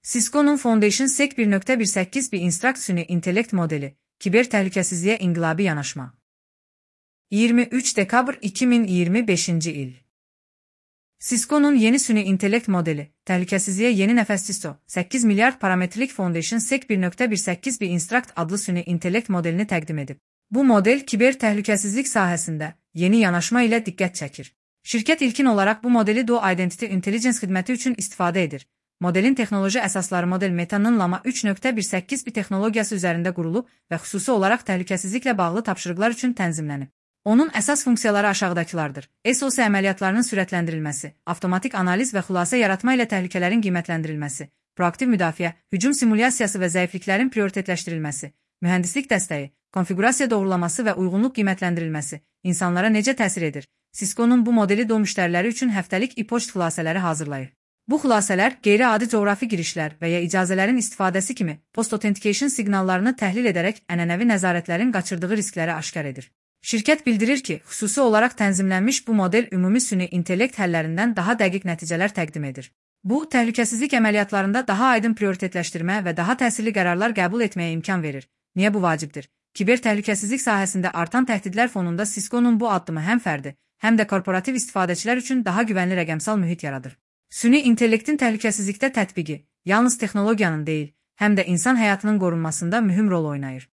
Cisco'nun Foundation SEC 1.18 bir instruct süni intellekt modeli, kiber təhlükəsizliyə inqilabi yanaşma. 23 dekabr 2025 il. Cisco'nun yeni süni intellekt modeli, təhlükəsizliyə yeni nəfəs Cisco, 8 milyard parametrlik Foundation SEC 1.18 bir instruct adlı süni intellekt modelini təqdim edib. Bu model kiber təhlükəsizlik sahəsində yeni yanaşma ilə diqqət çəkir. Şirkət ilkin olaraq bu modeli Duo Identity Intelligence xidməti üçün istifadə edir. Modelin texnoloji əsasları model Meta'nın Llama 3.18 bir texnologiyası üzərində qurulub və xüsusi olaraq təhlükəsizliklə bağlı tapşırıqlar üçün tənzimlənib. Onun əsas funksiyaları aşağıdakılardır. SOC əməliyyatlarının sürətləndirilməsi, avtomatik analiz və xülasə yaratma ilə təhlükələrin qiymətləndirilməsi, proaktiv müdafiə, hücum simulyasiyası və zəifliklərin prioritetləşdirilməsi, mühəndislik dəstəyi, konfigurasiya doğrulaması və uyğunluq qiymətləndirilməsi, insanlara necə təsir edir? Cisco'nun bu modeli Duo müştəriləri üçün həftəlik e-poçt xülasələri hazırlayır. Bu xülasələr qeyri-adi coğrafi girişlər və ya icazələrin istifadəsi kimi post-authentication siqnallarını təhlil edərək ənənəvi nəzarətlərin qaçırdığı riskləri aşkar edir. Şirkət bildirir ki, xüsusi olaraq tənzimlənmiş bu model ümumi süni intellekt həllərindən daha dəqiq nəticələr təqdim edir. Bu, təhlükəsizlik əməliyyatlarında daha aydın prioritetləşdirmə və daha təsirli qərarlar qəbul etməyə imkan verir. Niyə bu vacibdir? Kiber təhlükəsizlik sahəsində artan təhdidlər fonunda Cisco'nun bu addımı həm fərdi, həm də korporativ istifadəçilər üçün daha güvənli rəqəmsal mühit yaradır. Süni intellektin təhlükəsizlikdə tətbiqi yalnız texnologiyanın deyil, həm də insan həyatının qorunmasında mühüm rol oynayır.